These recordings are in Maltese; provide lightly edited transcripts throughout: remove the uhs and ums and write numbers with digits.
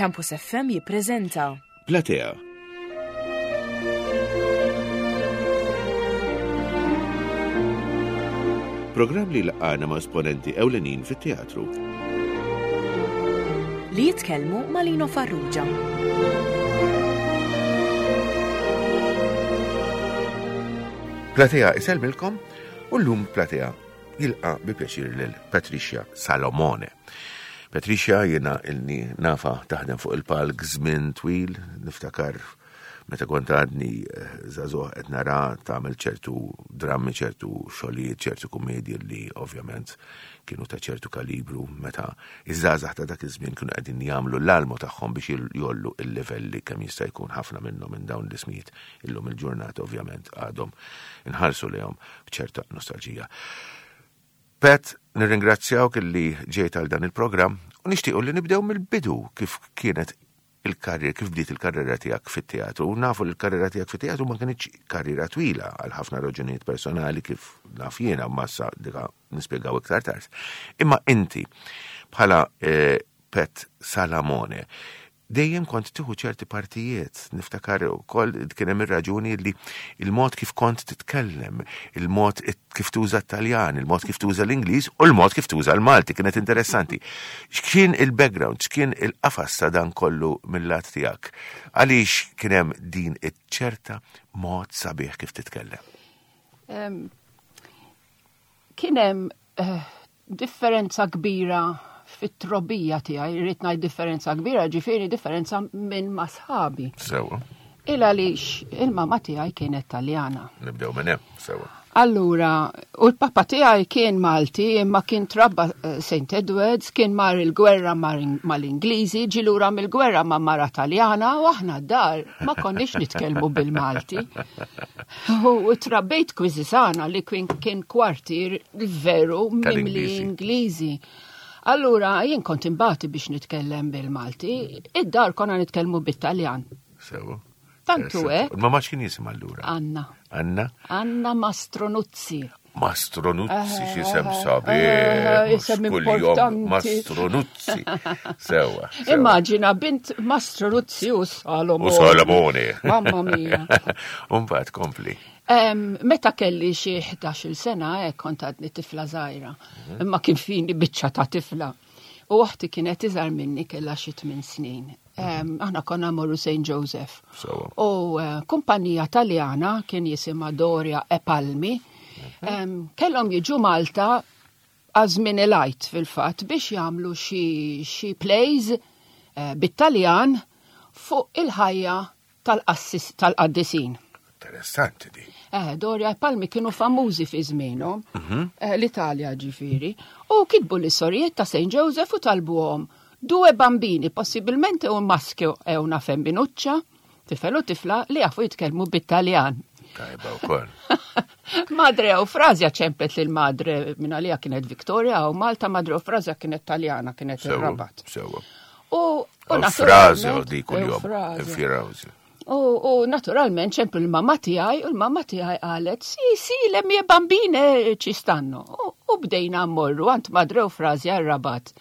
Campus FM jippreżenta Platea. Programm li laqgħana ma' esponenti ewlenin fit-teatru. Li jitkellmu ma' Lino Farrugia. Platea isellmilkom u llum Platea jilqa' bi pjaċir lil Patricia Salomone. Patricia jiena ilni nafa taħdem fuq il-palk żmien twil, niftakar meta kont għadni eh, żagħżugħ qed nara tagħmel ċertu drammi, ċertu xogħlijiet, ċertu kummedji li ovvjament kienu ta' ċertu kalibru meta iż-żgħażagħ ta' dak iż-żmien kienu qegħdin jagħmlu l-almu tagħhom biex jollu il-livelli kemm jista' jkun ħafna minnhom minn dawn l-ismijiet illum il-ġurnata ovvjament għadhom inħarsu lejhom b'ċerta nostalġija. Pat, nirringrazzjawk illi ġejt għal dan il-programm u nixtiequ li nibdew mill-bidu kif kienet il-karriera, kif bdiet il-karriera tiegħek fit-teatru. U nafu li l-karriera tiegħek fit-teatru ma kinitx karriera twila għal ħafna raġunijiet personali kif naf jiena massa dika nispjegaw iktar tard. Imma inti bħala eh, Pet Salamone, dejjem kont tieħu ċerti partijiet, niftakar ukoll kien hemm ir-raġuni li il-mod kif kont titkellem, il-mod kif tuża t-Taljan, il-mod kif tuża l-Ingliż u l-mod kif tuża l-Malti kienet interessanti. X'kien il-background, x'kien il-qafas ta' dan kollu mill-lat tiegħek? Għaliex kien hemm din iċ-ċerta mod sabiħ kif titkellem? Kien hemm eh, differenza kbira fit-trobija tiegħi, irrid ngħid differenza kbira, ġifieri differenza minn ma' sħabi. Sewa. Il għaliex il-mama tiegħi kienet Taljana. Nibdew minn hemm, sewa. Allura, u l-papa tiegħi kien Malti, imma kien trabba eh, St. Edwards, kien mar il-gwerra mal-Ingliżi, ġilura mill-gwerra ma' mara Taljana, u aħna dar ma konniex nitkellmu bil-Malti. U trabbejt Kwiżisana li kien kien kwartier veru mimli Ingliżi. Allura jien kont imbati biex nitkellem bil-Malti, id-dar konna nitkellmu bit-Taljan. Sewa. Tantu hekk. Ma ma x'kien jisim allura? Anna. Anna? Anna Mastronuzzi. Mastronuzzi xi sem sabiħ. Eh, isem importanti. Mastronuzzi. Sewa. Immaġina bint Mastronuzzi u Salomone. U Salomone. Mamma mia. Umbagħad kompli. Meta kelli xi 11-il sena hekk kont għadni tifla żgħira. Mhm. Imma kien fini biċċa ta' tifla. U oħti kienet iżgħar minni kellha xi tmien snin. Aħna konna morru St. Joseph. U eh, kumpanija Taljana kien jisimha Doria e Palmi. Mhm. Kellhom jiġu Malta għażmin il-għajt fil-fatt biex jagħmlu xi plays eh, bit-Taljan fuq il-ħajja tal-qaddisin. Interessanti di. Eh, Doria e Palmi kienu famużi fi żmienhom, mhm. eh, l-Italja ġifieri, u kitbu l-istorijiet ta' St. Joseph u talbuhom due bambini, possibilmente un maschio e una femminuccia, tifel u tifla li jafu jitkellmu bit-Taljan. Tajba wkoll. Madre Eufrazia ċemplet lil madre minn għalija kienet Victoria u Malta Madre Eufrazia kienet Taljana kienet ir-Rabat. Sewa. U Eufrazia di kuljum. Eufrazia. U naturalment ċemplu l-mamma tiegħi u l-mamma tiegħi qalet, si, si, le mie bambine ci stanno. U bdejna mmorru għand Madre Eufrazia r-Rabat.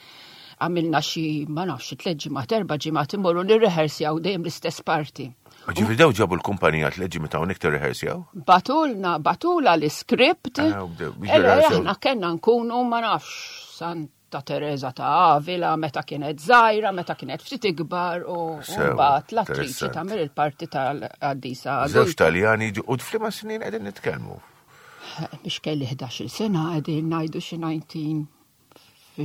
Għamilna xi, ma nafx, tliet ġimgħat, erba' ġimgħat immorru nirrehersjaw dejjem l-istess parti. Ġifieri daw ġabu l-kumpanija tliet ġimgħat hawnhekk tirrehersjaw? Batulna, batula l-iskript. Ah, aħna kellna nkunu ma nafx Santa Teresa ta' Avila meta kienet żgħira, meta kienet ftit ikbar u mbagħad l-attriċi tagħmel il-parti tal-qaddisa. Żewġ Taljani u f'liema snin qegħdin nitkellmu? Biex kelli 11-il sena qegħdin ngħidu xi 19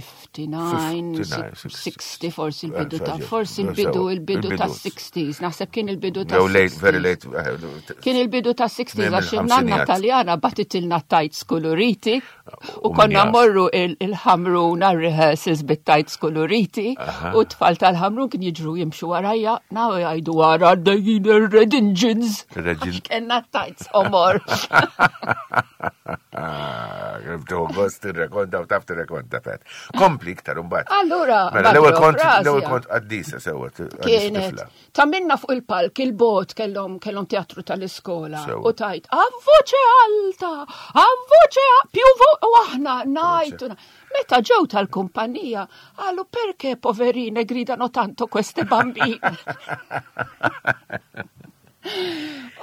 59, 60, forsi il-bidu ta' forsi il-bidu il-bidu ta' 60s, naħseb kien il-bidu ta' late, very late. Eh, kien il-bidu ta' 60s għax il-nanna taljana batitilna tajts kuluriti u konna morru il-ħamrun għal-rehearsals bit-tajts kuluriti u tfal tal-ħamrun kien jiġru jimxu warajja, naw jgħidu wara għaddejjin il-red engines. Kenna tajts omor. Ah, Bdew gost tirrekonta u taf tirrekonta pet. Kompli iktar imbagħad. Allura, mela l-ewwel kont l-ewwel kont qaddisa sewwa. Kienet ta' minna fuq il-palk il-bot kellhom kellhom teatru tal-iskola u tajt a voce alta, a voce più u aħna ngħidu. Meta ġew tal-kumpanija qalu perché poverine gridano tanto queste bambine.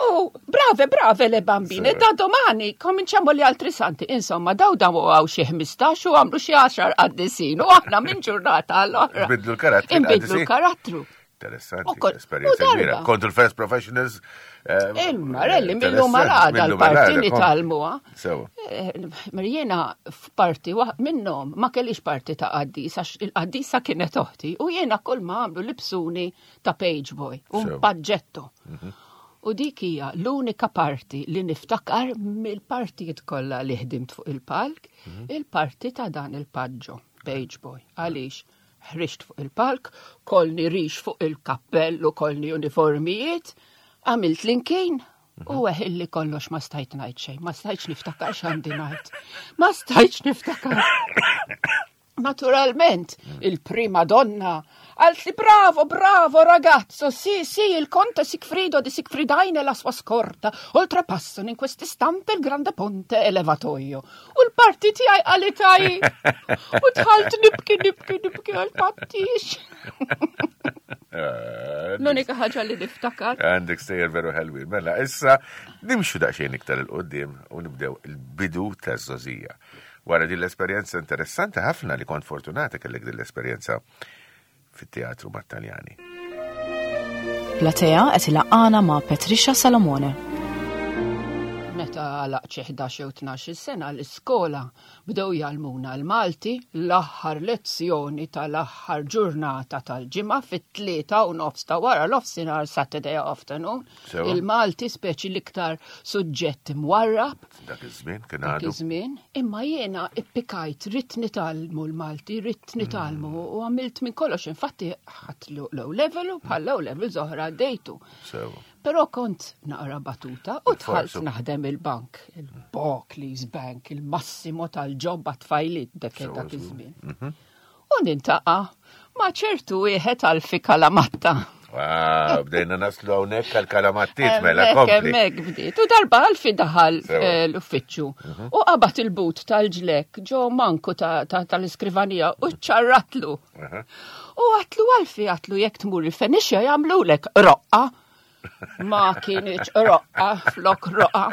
Oh, brave, brave le bambine, da domani cominciamo gli altri santi. Insomma, daw daw għaw xi 15 u għamlu xi 10 qaddisin u aħna minn ġurnata għall-oħra. Nbidlu l-karattru. Nbidlu l-karattru. Interessanti, esperjenza kbira. Kontu l-first professionals. Eh, Il-marelli, millu malada l-parti nitalmuha. Sewa. Eh, Jiena f'parti minnhom ma kellix parti ta' qaddisa, il-qaddisa kienet oħti u jiena kull ma għamlu libsuni ta' page boy, un paġġetto. Mhm. U dik hija l-unika parti li niftakar mill-partijiet kollha li ħdimt fuq il-palk, mhm. il-parti ta' dan il-paġġo, page boy. Għaliex ħriġt fuq il-palk, kolni rix fuq il-kappell u kolni uniformijiet, għamilt l-inkin, mhm. U illi kollox ma stajt ngħid xejn, ma stajtx niftakar x'għandi ngħid. Ma stajtx niftakar. Naturalment, il-prima donna għalt li bravo, bravo ragazzo, sì, sì, il conte Sigfrido di Sigfridaine la sua scorta, oltrepassano in quest'istante il grande ponte elevatoio. U l-parti tiegħi għalitaj. U tħalt nibki, nibki, nibki għal pattix. Eh, L-unika ħaġa li niftakar. Għandek sejjer veru ħelwin. Mela, issa nimxu daqsxejn iktar il-qoddim u nibdew il-bidu taż-żożija. Wara din l-esperjenza interessanti ħafna li kont fortunata kellek din l-esperjenza fit-teatru mat-Taljani. Platea qed ilaqqana ma' Patricia Salomone. Meta għalaq xi 11 jew 12 sena l-iskola bdew jgħallmuna l-Malti l-aħħar lezzjoni tal-aħħar ġurnata tal-ġimgħa fit-tlieta u nofs ta' wara l-ofsinhar Saturday afternoon. Il-Malti speċi l-iktar suġġett imwarrab. Dak iż-żmien kien għadu. Dak iż-żmien, imma jiena ippikajt ridt nitgħallmu l-Malti, ridt nitgħallmu mm. u għamilt minn kollox, infatti ħadd low level u bħal low level zoħra għaddejtu. Però kont naqra batuta u dħalt naħdem il-bank, il-Barclays Bank, il-massimo tal-ġobba tfajlit dak dak iż-żmien. Mhm. U nintaqa' ma' ċertu wieħed Alfi Kalamatta. Wow, bdejna naslu hawnhekk għal kalamattiet mela kompli. Hemmhekk bdiet. U darba Alfi daħal eh, l-uffiċċju mhm. u qabad il-but tal-ġlek ġo manku tal-iskrivanija u ċarratlu. U għatlu Alfi għatlu jekk tmur il-Fenixja jagħmlulek roqqa. Ma kienieċ roqqa flok roqqa.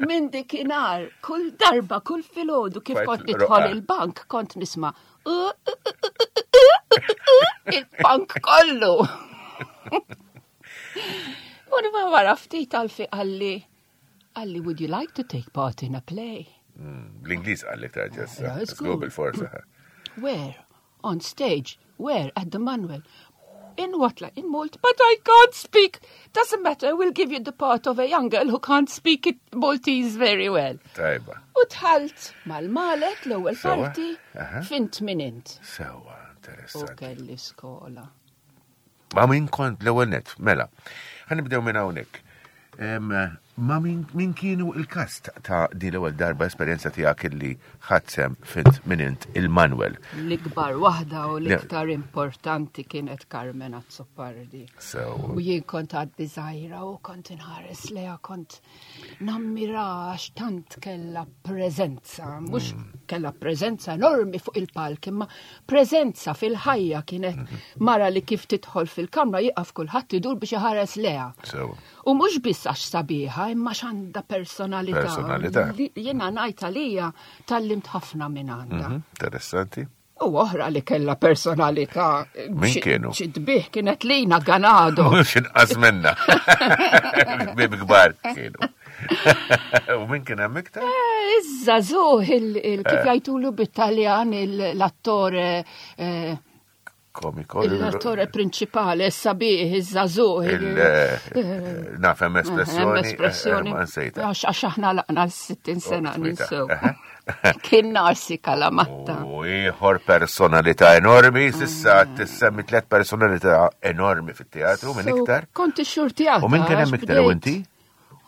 Minn dikinhar, kull darba, kull filgħodu kif kont nidħol il-bank, kont nisma' il-bank kollu. U nima wara ftit għalfi għalli, għalli, would you like to take part in a play? Mm, Bl-Ingliż għalli taġġessa. Żgur bil-forza. Where? On stage, where? At the Manuel. In what? Like, in Malta. But I can't speak. Doesn't matter, we'll give you the part of a young girl who can't speak it Maltese very well. Tajba. U tħalt mal-malet l-ewwel parti fint min int. Sewa, interessanti. U kelli skola. Ma min kont l-ewwel net, mela. Ħanibdew minn hawnhekk. Ma min kienu il-kast ta' din l-ewwel darba esperjenza tiegħek illi ħadd sem fint min int il-Manuel. L-ikbar waħda u l-iktar importanti kienet Carmen Azzopardi. U jien kont għaddi żgħira u kont inħares leha kont nammira għax tant kellha preżenza, mhux mm. kellha preżenza enormi fuq il-palk, imma preżenza fil-ħajja kienet mhm. mara li kif tidħol fil-kamra jieqaf kulħadd idur biex iħares leha. U mhux biss għax sabiħa, imma x'għandha personalità. Personalità. Jiena ngħid għalija tallimt ħafna minn għandha. Mhm, interessanti. U oħra li kella personalità. Min kienu? Xi tbih kienet Lina Ganado. Mhux inqas minna. Bib kbar kienu. U min kien hemm iktar? Eh, iż-żagħżugħ kif eh. jgħidulu bit-Taljan l-attore eh, komiko. L-attore prinċipali, sabiħ, iż-żagħżugħ. Naf hemm espressjoni. Espressjoni. Għax aħna laqna l-60 sena oh, ninsew. Kien narsi kalamatta. U ieħor personalità enormi, sissa mm. tissemmi tliet personalità enormi fit-teatru minn iktar. Kont ix-xurtijata. U minn kien hemm iktar u inti?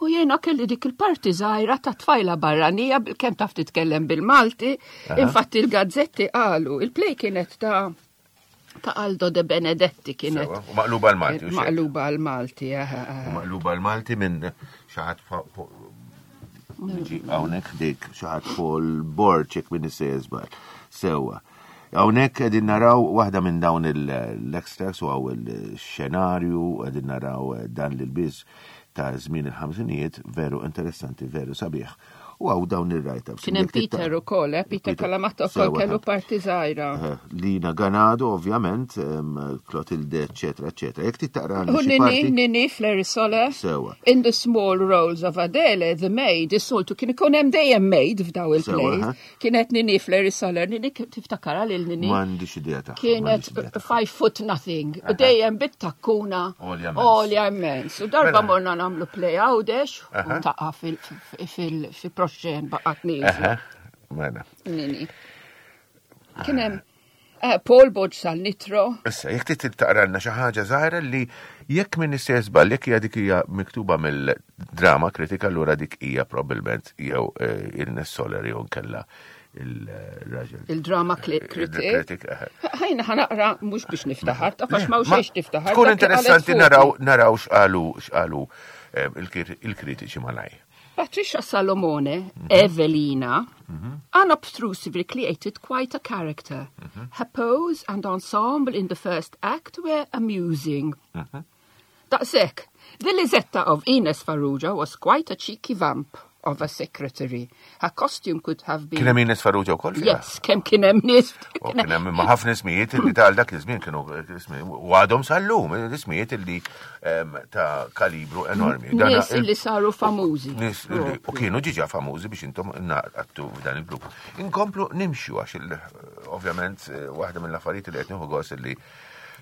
U jiena kelli dik il-parti żgħira ta' tfajla barranija bil-kemm taf titkellem bil-Malti. Infatti il-gazzetti qalu, il-play kienet ta' ta' Aldo de Benedetti kienet. U maqluba l-Malti. Maqluba l-Malti, Maqluba l-Malti minn xaħat hawnhekk dik xaħat Paul Borg jekk minn żball. Sewwa. Hawnhekk qegħdin naraw waħda minn dawn l-extracts u għaw il-xenarju, qegħdin naraw dan l-biż ta' żmien il-ħamsinijiet, veru interessanti, veru sabiħ. U għaw dawn il-write-ups. Kien hemm Peter ukoll, eh? Peter Kalamatta wkoll kellu parti żgħira. Eh, Lina Ganado, ovvjament, Clotilde, eccetera, eccetera. Jekk taqra U Nini, Nini, Fleri Sole. Sewa. In the small roles of Adele, the maid, is-soltu kien ikun hemm dejjem maid f'daw il-plays. Kienet Nini Fleri Soler, Nini tiftakara lil Nini. M'għandix idea ta' Kienet five foot nothing, u dejjem bit-takkuna. Olja immens. U darba mela. morna nagħmlu play għawdex u taqa' fil-proxxen baqgħet nieżla. Mela. Nini. Kien hemm eh, Paul Bodġ sal-Nitro. Issa, jekk trid taqralna xi ħaġa żgħira li jekk min istess żball, jekk hija dik hija miktuba mill-drama kritika allura dik hija probabbilment jew eh, Ernest Soler jew nkella il-raġel. Il-drama kritik. Ħajna ħanaqra mhux biex niftaħar, ta' fax ma xejx tiftaħar. Tkun interessanti naraw naraw x'qalu x'qalu eh, il-kritiċi malaj. Patricia Salomone, mm -hmm. Evelina, mm -hmm. unobtrusively created quite a character. Mm -hmm. Her pose and ensemble in the first act were amusing. Mhm. Daqshekk, the Lisetta of Ines Farrugia was quite a cheeky vamp of a secretary. Her costume could have been... Kien hemm Ines Farrugia wkoll fiha? Yes, kemm kien hemm nies. Kien hemm imma ħafna ismijiet li tal dak iż-żmien kienu u għadhom sal-lum, ismijiet li ta' kalibru enormi. Nies li saru famużi. Nies li u kienu ġiġa famużi biex intom naqattu f'dan il-grupp. Inkomplu nimxu għax ovvjament eh, waħda mill-affarijiet li qed nieħu gost li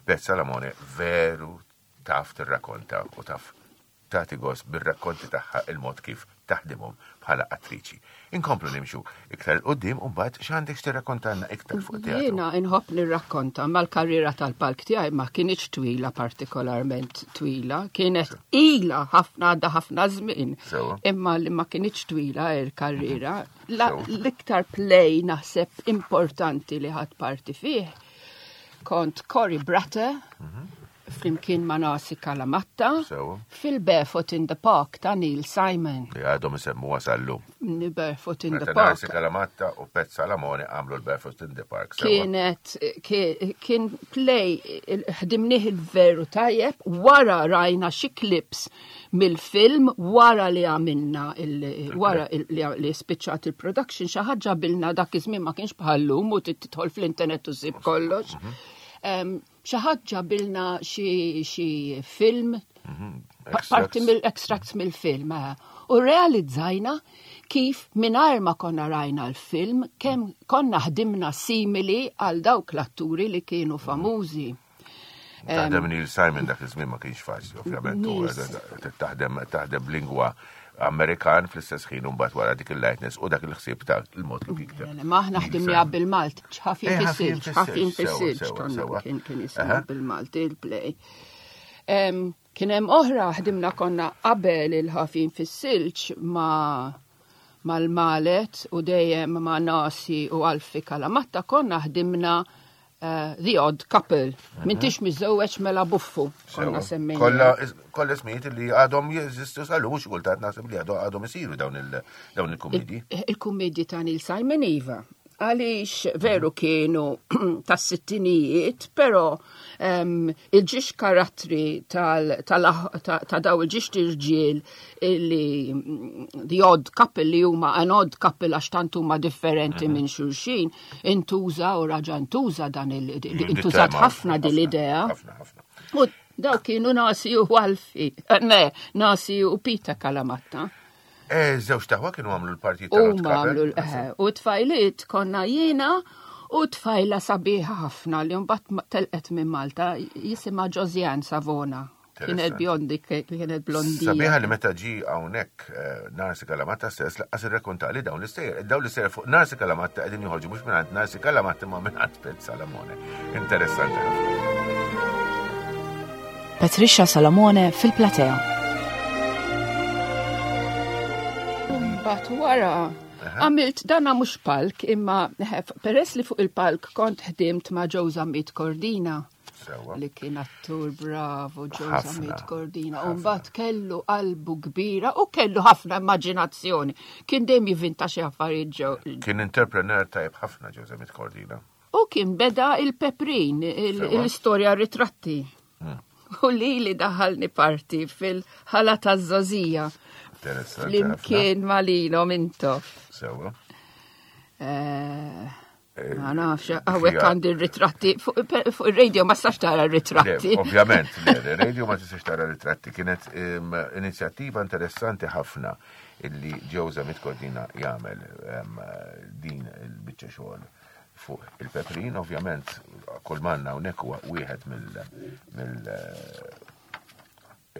Beth Salamone veru taf tirrakonta u taf tagħti gost bir-rakkonti tagħha il-mod kif taħdimhom bħala attriċi. Inkomplu nimxu iktar 'il quddiem u mbagħad x'għandek x'tirrakkontalna iktar fuq it-teatru? Jiena inħobb nirrakkonta ma l-karriera tal-palk tiegħi ma kinitx twila partikolarment twila, kienet ilha ħafna għadda ħafna żmien. Imma li ma kinitx twila il-karriera. L-iktar play naħseb importanti li ħadd parti fih kont Cory Bratter, mhm. flimkien ma' Nasi Kalamatta fil-Barefoot in the Park ta' Neil Simon. Li għadhom isemmuha sal-lum. Barefoot in the Park. Nasi Kalamatta u Pet Salamone għamlu l-Barefoot in the Park. Kienet, kien play, ħdimnieh il-veru tajjeb, wara rajna xi clips mill-film, wara li għamilna, wara li spiċċat il-production, xi ħaġa bilna dak iż-żmien ma kienx bħallum u tidħol fl-internet u ssib kollox. Mhm. Xi ħadd ġabilna xi film, mhm, parti mill-extracts mill-film, eh. u realizzajna kif mingħajr ma konna rajna l-film, kemm konna ħdimna simili għal dawk l-atturi li kienu mhm. famużi. Taħdem Neil Simon dak iż-żmien ma kienx faċli, ovvjament, taħdem taħdem lingwa Amerikan fl-istess ħin mbagħad wara dik il-lightness u dak il-ħsieb ta' il-mod kif jikteb. Ma aħna ħdimniha bil-Malti, ħafif eh, fis-silġ, ħafif fis-silġ kien kien jismu bil-Malti il-play. Kien hemm oħra ħdimna konna qabel il-ħafin fis-silġ ma' mal-malet u dejjem ma' nasi u Alfi Kalamatta konna ħdimna Eh, the Odd Couple. Mhm. Mintix miżewweġ mela buffu. Konna semmejna. Kolla kolla ismijiet li għadhom jeżistu sal mhux kultant naħseb li għadhom isiru dawn il-kummedji. Il-kummedji ta' Neil Simon Iva. Għaliex veru mhm. kienu tas sittinijiet, pero il-ġiex karattri ta' daw il-ġiex tirġiel li the odd couple li huma an odd couple għax tant huma differenti mhm. minn xulxin, Intuża u raġa ntuża dan il intużat ħafna din l-idea. U daw kienu nasi u għalfi, eh, ne, nasi u Pita Kalamatta. Eh, żewġ taħwa kienu għamlu l-partit tal U għamlu eh, u tfajliet konna jiena u tfajla sabiħa ħafna li mbagħad telqet minn Malta jisimha Josiane Savona. Kienet bjondi, kienet blondi. Sabiħa li meta ġi hawnhekk eh, Narsi Kalamatta stess laqqas irrakkontali dawn l-istejjer. Dawn l-istejjer fuq Narsi Kalamatta qegħdin joħorġu mhux mingħand Narsi Kalamatta ma mingħand Pet Salamone. Interessanti ħafna. Patricia Salamone fil-platea. Mbagħad wara għamilt dana mhux palk imma peress li fuq il-palk kont ħdimt ma' Joe Zammit Cordina. Li kien attur bravo Joe Zammit Cordina. U mbagħad kellu qalbu kbira u kellu ħafna immaġinazzjoni. Kien dejjem jivinta xi affarijiet Joe. Kien entrepreneur tajb ħafna Joe Zammit Cordina. U kien beda il-Peprin, l-istorja ritratti. U li li daħalni parti fil-ħala ta' zozija. Flimkien malino mintof. Sewa. Eh, eh, ma nafx, għawek għandi ritratti fuq il-radio ma stax tara ritratti. Ovvjament, il-radio ma tistax tara ritratti. Kienet inizjattiva interessanti ħafna illi ġewza mitkodina jagħmel din il-biċċa xogħol fuq il-peprin, ovvjament, kull manna hawnhekk huwa wieħed mill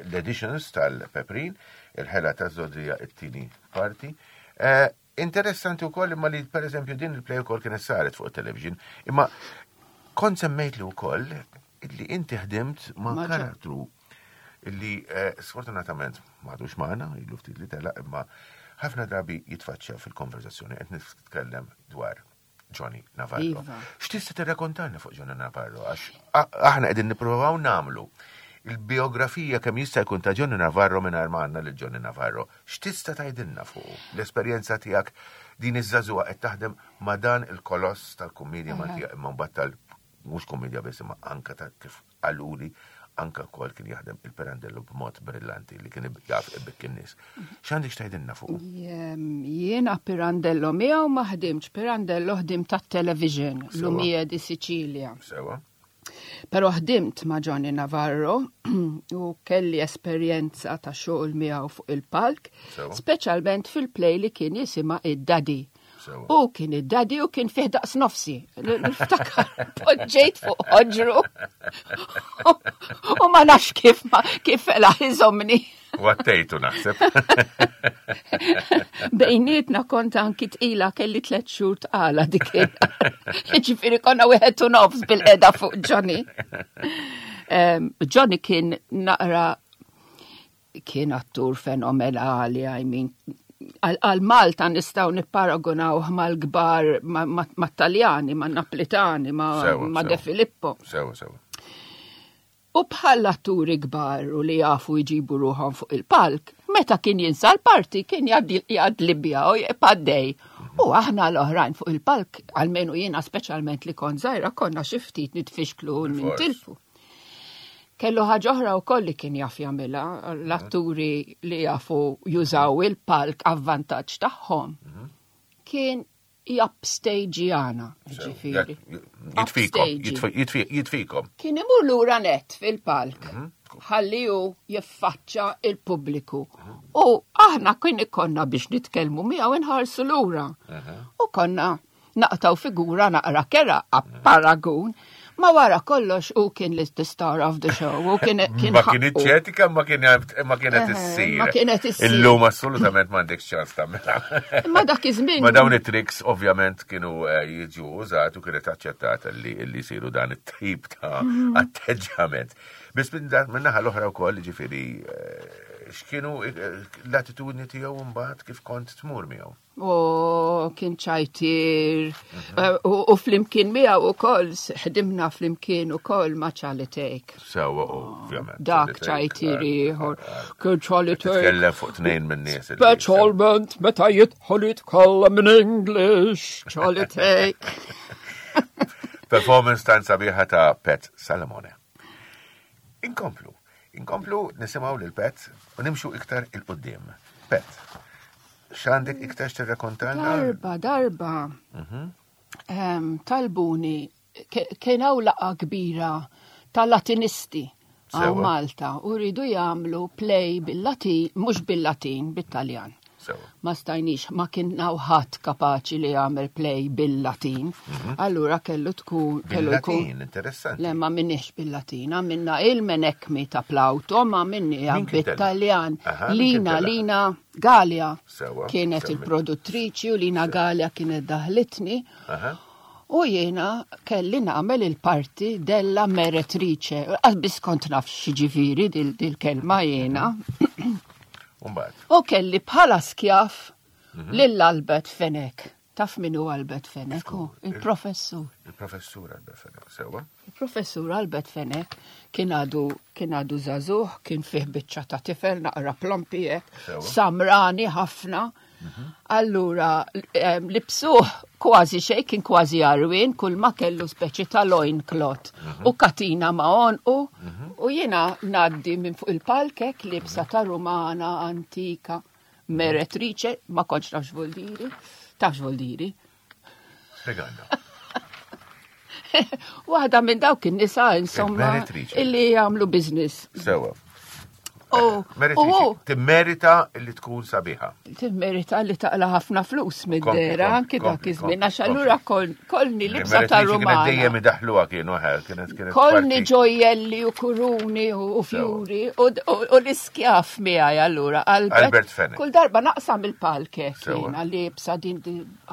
l-editions tal-peprin, il-ħela ta' zodija it-tieni parti. Eh, interessanti wkoll imma li per eżempju din il-play ukoll kienet saret fuq il-television, imma kont semmejt li wkoll li inti ħdimt ma' karattru li eh, sfortunatament m'għadux magħna, ilu ftit li telaq imma ħafna drabi jitfaċċja fil-konverzazzjoni qed nitkellem dwar Johnny Navarro. Iva. X'tista' tirrakontalna fuq Johnny Navarro għax aħna qegħdin nippruvaw nagħmlu il-biografija kemm jista' jkun ta' Johnny Navarro mingħajr ma għandna lil Johnny Navarro. X'tista' tgħidilna fuq l-esperjenza tiegħek din iż-żagħżugħa qed taħdem ma' dan il-koloss tal-kummedja Maltija imma mbagħad tal mhux kummedja biss imma anka ta' kif qaluli anka wkoll kien jaħdem il-Pirandello b'mod brillanti li kien jaf ibikki n-nies. X'għandek x'tgħidilna fuq? Jiena Pirandello miegħu ma ħdimx, Pirandello ħdim tat-television, Lumie di Sicilia. Sewa. Però ħdimt ma' Johnny Navarro u kelli esperjenza ta' xogħol miegħu fuq il-palk, speċjalment fil-play li kien jisimha id-Daddy. U kien id-daddy u kien fih daqs nofsi. Niftakar, poġġejt fuq ħoġru. U ma nafx kif kif fela iżomni. Wattejtu naħseb. Bejnietna kont anki tqila kelli tliet xhur tqala dik. Ġifieri konna wieħed u nofs bil-qeda fuq Johnny. Johnny kien naqra kien attur fenomenali, I mean, għal Malta nistaw nipparagunawh mal-kbar mat-Taljani, ma' Naplitani, ma' De Filippo. Sewa, sewa. U bħal atturi kbar u li jafu jġibu ruħhom fuq il-palk, meta kien jinsa l-parti kien jgħad Libja u jgħaddej. U aħna l-oħrajn fuq il-palk, għalmenu jiena speċjalment li kont żgħira, konna xi ftit nitfixklu u nintilfu. Kellu ħaġa oħra wkoll li kien jaf jagħmilha, l-atturi li jafu jużaw il-palk avvantaġġ tagħhom. Mhm. Kien japstejġjana, ġifieri. Jitfikom, jitfikom. Kien imur lura net fil-palk. Mhm. Ħalli hu jiffaċċa il-pubbliku. Mhm. U aħna kien ikonna biex nitkellmu miegħu inħarsu lura. U konna naqtaw figura naqra kera paragun. Ma wara kollox u kien li the star of the show. U kien kien Ma kien iċċetika ma kien ma kienet eh, issir. Ma kienet issir. Illum assolutament m'għandek ċans tagħmilha. Ma dak iż-żmien. Ma dawn it-tricks ovvjament kienu eh, jiġu użat u kienet aċċettata li li jsiru dan it-tip ta' mhm. atteġġjament. Biss minn naħa l-oħra wkoll ġifieri eh, x'kienu l-attitudni tiegħu mbagħad kif kont tmur miegħu. U kien ċajtir, mhm. eh, u flimkien miegħu ukoll ħdimna flimkien ukoll ma' Charlie Take. Sewa, ovvjament. Dak ċajtir ieħor. Kien Charlie Take. Tkellem fuq tnejn minn nies. Speċjalment meta jidħol jitkellem minn English, Charlie Take. Performance tan sabiħa ta' Pet Salomone. Inkomplu. Inkomplu nisimgħu lil Pet u nimxu iktar il-qudiem. Pet, x'għandek iktar x'tirrakontalna? Darba, darba. Mhm. Talbuni kien hawn laqgħa kbira tal-Latinisti għaw Malta u rridu jagħmlu play bil-Latin, mhux bil-Latin, bit-Taljan. Ma stajniex, ma kien ħadd kapaċi li jagħmel play bil-Latin. Mhm. Allura kellu tkun kellu jkun. Interessanti. Le ma minniex bil-Latin, għamilna il-menekmi ta' Plauto, ma minni bit-Taljan. Lina, Lina Galea kienet il-produttriċi u Lina Galea kienet daħlitni. U jiena kelli nagħmel il-parti della meretrice. Biss kont naf x'ġifieri dil-kelma jiena. U kelli bħala skjaf. Lil Albert Fenech. Taf min hu Albert Fenech? Hu il-professur. Il-professur Albert Fenech, sewwa. Il-professur Albert Fenech kien għadu kien għadu żagħżugħ, kien fih biċċa ta' tifel naqra plompi hekk, samrani ħafna. Mhm. Allura libsuh kważi xejn kien kważi għarwien, kull ma kellu speċi ta' loin cloth mhm. u katina ma' għonqu mhm. u jiena ngħaddi minn fuq il-palkek libsa ta' rumana antika. Meretrice, ma kontx naf x'vuldiri. Taf x'vuldiri? Spjegalna. Waħda minn dawk in-nisa insomma illi jagħmlu business. Sewa. Oh, Timmerita li tkun sabiħa. Timmerita li taqla ħafna flus mid-dera, anki dak iż-żmien, għax allura kolni libsa ta' Rumana. Dejjem idaħluha kienu ħel, kienet kienet. Kolni ġojjelli u kuruni u fjuri u l-iskjaf miegħi allura Albert Fenech. Kull darba naqsam il-palke jiena libsa din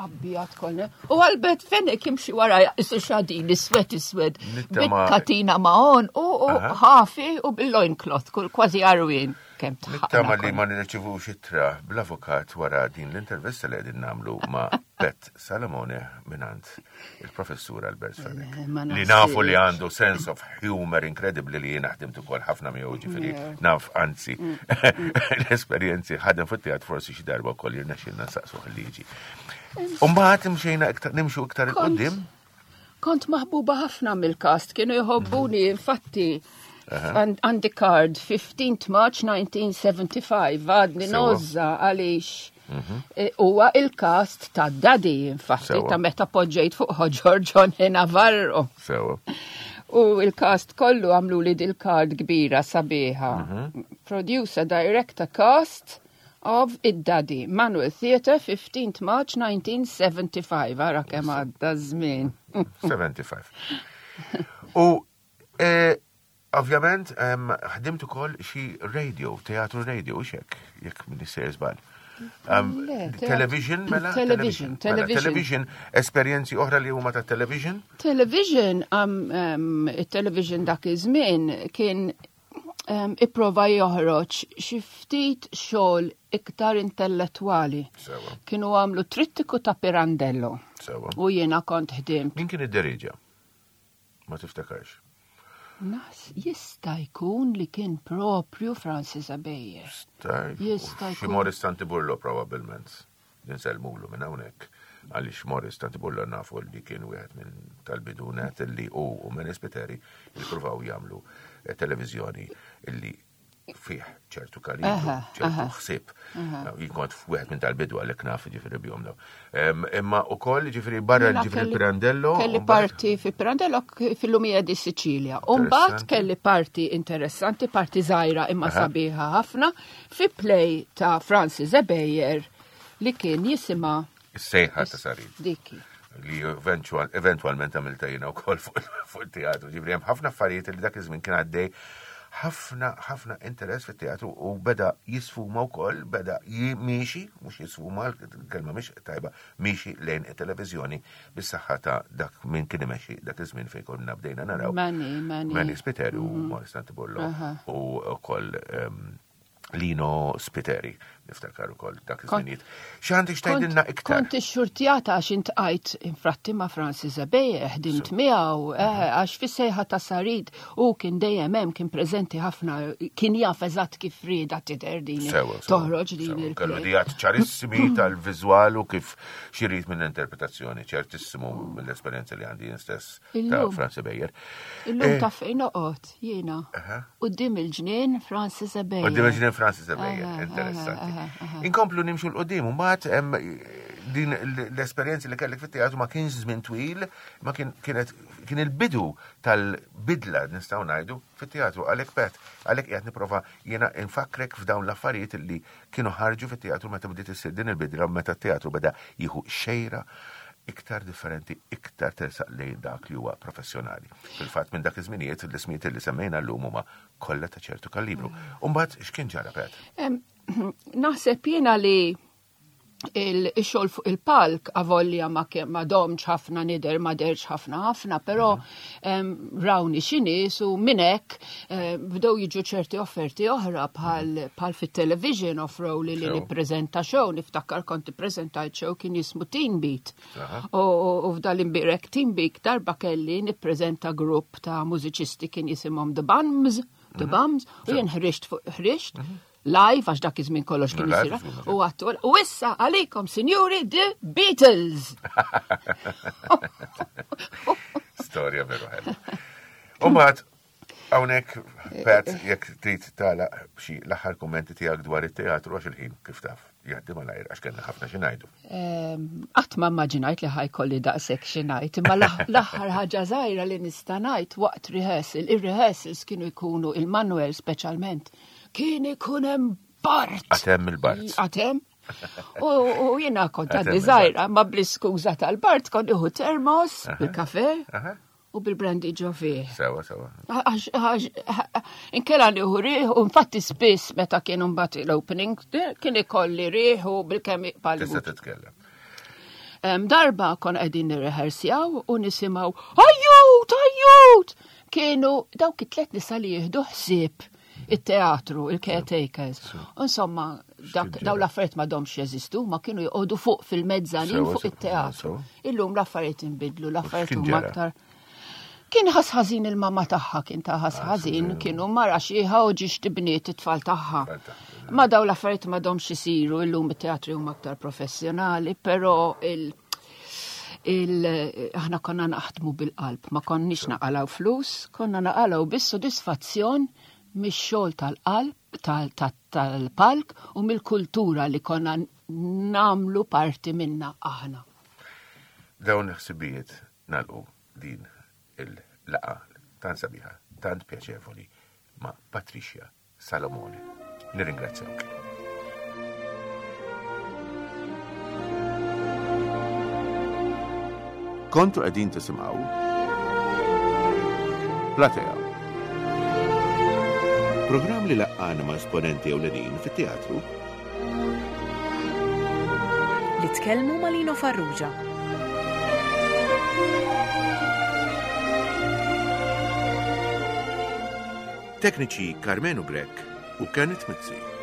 abjad kolne. U Albert Fenech jimxi wara isu xadin iswed iswed bit-katina ma' on u ħafi u bil-loincloth kull kważi għarwien kemm Nittama li ma nirċivux ittra bl-avukat wara din l-intervista li qegħdin nagħmlu ma' Pet Salomone minant il-professur Albert Fenech. Eh, li nafu li għandu sense of humor incredibly li jiena ħdimt ukoll ħafna miegħu ġifieri naf anzi mm. l-esperjenzi ħadem fit-teatr forsi xi darba wkoll jirnexxilna nsaqsuh il-liġi. U mbagħad imxejna iktar nimxu iktar il-qudiem. Kont maħbuba ħafna mill-kast, kienu jħobbuni infatti għandi card 15th March 1975 għadni nozza għaliex mhm. e, huwa il-kast ta' Daddy infatti ta' meta poġġejt fuq ħoġor John Navarro. Sewa. U il-kast kollu għamlu li dil-card kbira sabiħa. Mhm. Producer, director, cast of id-Daddy, Manuel Theatre, 15th March 1975. Ara kemm għadda żmien. 75. U e, ovvjament ħdimt ukoll xi radio, teatru radio, xek, jekk minn sejjer żball. Television, mela? Television, mela, television. Television, esperjenzi oħra li huma ta' television? Television, television dak iż-żmien kien ipprova joħroġ xi ftit xogħol iktar intellettwali. Kienu għamlu trittiku ta' Pirandello. Sewa. U jiena kont ħdimt. Min kien id-deriġa? Ma tiftakarx. Nas jista' jkun li kien propju Francis Abejer. Jista' jkun. Xi Morris Tantiburlo probabbilment. Ninsellmulu minn hawnhekk għaliex Morris Tantiburlo nafu li kien wieħed minn tal-bidunet li hu u Menes Spiteri ippruvaw jagħmlu eh, televiżjoni illi fih ċertu kalibru, ċertu ħsieb. Jien kont wieħed minn tal-bidu għalhekk naf ġifieri bihom daw. Imma ukoll ġifieri barra ġifieri Pirandello. Kelli parti fi Pirandello fil-Lumija di Sicilia. U mbagħad kelli parti interessanti, parti żgħira imma sabiħa ħafna fi play ta' Francis Ebejer li kien jisimha Is-sejħa ta' Sarid. Diki. Li eventualment għamilta jiena wkoll fuq it-teatru. Ġifieri hemm ħafna affarijiet li dak iż-żmien kien għaddej ħafna ħafna interess fit-teatru u beda jisfuma wkoll, beda miexi, mhux jisfuma, l-kelma mhix tajba, miexi lejn it-televiżjoni bis-saħħa ta' dak min kien imexxi dak iż-żmien fejn konna bdejna naraw. Mani, Mani. Mani Spiteri u mhm. Morris Santibollo u wkoll ehm, Lino Spiteri, niftakar ukoll dak iż-żminijiet. X'għandek x'tgħidilna iktar? Kont ixxurtjata għax intqajt infratti ma' Francis Abeje, ħdimt miegħu, eh, mhm. għax fis-sejħa ta' Sarid u kien dejjem hemm kien preżenti ħafna, kien jaf eżatt kif rieda tidher din toħroġ din il Kellu dijat ċarissimi tal-viżwal u kif xirid minn interpretazzjoni, ċertissimu mill-esperjenza li għandi jien stess ta' Francis Bejer. Illum eh. ta' fejn noqgħod jiena. Qudiem il-ġnien Francis Ebejer. Qudiem il-ġnien Francis Ebejer, interessanti. Inkomplu nimxu l-qudiem, u mbagħad din l-esperjenza li kellek fit-teatru ma kienx żmien twil, ma kien kienet kien il-bidu tal-bidla nistgħu ngħidu fit-teatru għalhekk pet, għalhekk qiegħed nipprova jiena infakrek f'dawn l-affarijiet li kienu ħarġu fit-teatru meta bdiet issir din il-bidla meta t-teatru beda jieħu xejra iktar differenti, iktar tersaq lejn dak li huwa professjonali. Fil-fatt minn dak iż-żminijiet l-ismijiet li semmejna llum huma kollha ta' ċertu kalibru. U mbagħad x'kien ġara Pet? Naħseb jiena li Il-xogħol fuq il-palk avolja ma ma domx ħafna nider ma derx ħafna ħafna, però mhm. rawni xi nies u minn hekk eh, bdew jiġu ċerti offerti oħra bħal bħal fit-television offrow li li nippreżenta show, niftakar kont ippreżentajt show kien jismu Teen Beat. U f'dal-imbirek Teen Beat darba kelli nippreżenta grupp ta' mużiċisti kien jisimhom The Bums, The mhm. Bums, u jien ħriġt fuq ħriġt mhm. live għax dak iż-żmien kollox kien isir u għattu u issa għalikom sinjuri The Beatles. Storja veru ħelwa. U mbagħad hawnhekk Pat jekk trid tagħlaq xi l-aħħar kummenti tiegħek dwar it-teatru għax il-ħin kif taf jgħaddi malajr għax kellna ħafna xi ngħidu. Ehm, qatt ma immaġinajt li ħajkolli daqshekk xi ngħid, imma l-aħħar ħaġa żgħira li nista' ngħid waqt rehearsal, ir-rehearsals kienu jkunu il-Manuel speċjalment Kien ikun hemm bart. Għatem il-bart. Għatem. U jiena kont għadni żgħira, ma bl-iskuża tal-bart kont iħu termos bil-kafe u bil-brandy ġo fih. Sewa, sewa. Inkella nieħu riħ u infatti spiss meta kienu mbagħad l-opening kien ikolli riħ u bil-kemm iqbal. Tista' titkellem. Darba kon qegħdin nirrehersjaw u nisimgħu ajjut, ajjut! Kienu dawk it-tlet nisa li jieħdu ħsieb it-teatru, il-caretakers. Insomma, daw l-affarijiet ma domx jeżistu, ma kienu joqogħdu fuq fil-mezzanin fuq it-teatru. Illum l-affarijiet inbidlu, l-affarijiet huma aktar. Kien ħas ħażin il-mama tagħha, kien ta' ħas ah, ħażin, kienu mara xieħa u ġiex tibniet it-tfal tagħha. Ma daw l-affarijiet ma domx isiru, illum it-teatri huma aktar professjonali, però il- il aħna konna naħdmu bil-qalb, ma konniex naqalaw flus, konna naqalaw biss sodisfazzjon mix-xogħol tal-qalb, tal-palk u mill-kultura li konna namlu parti minna aħna. Dawn il-ħsibijiet nalqu din il-laqa tant sabiħa, tant pjaċevoli ma' Patricia Salomone. Nirringrazzjawk. Kontu qegħdin tisimgħu Platea. Programm li laqqana ma' esponenti ewlenin fit-teatru li tkellmu ma' Lino Farrugia. Tekniċi Karmenu Grech u Kenneth Mizzi.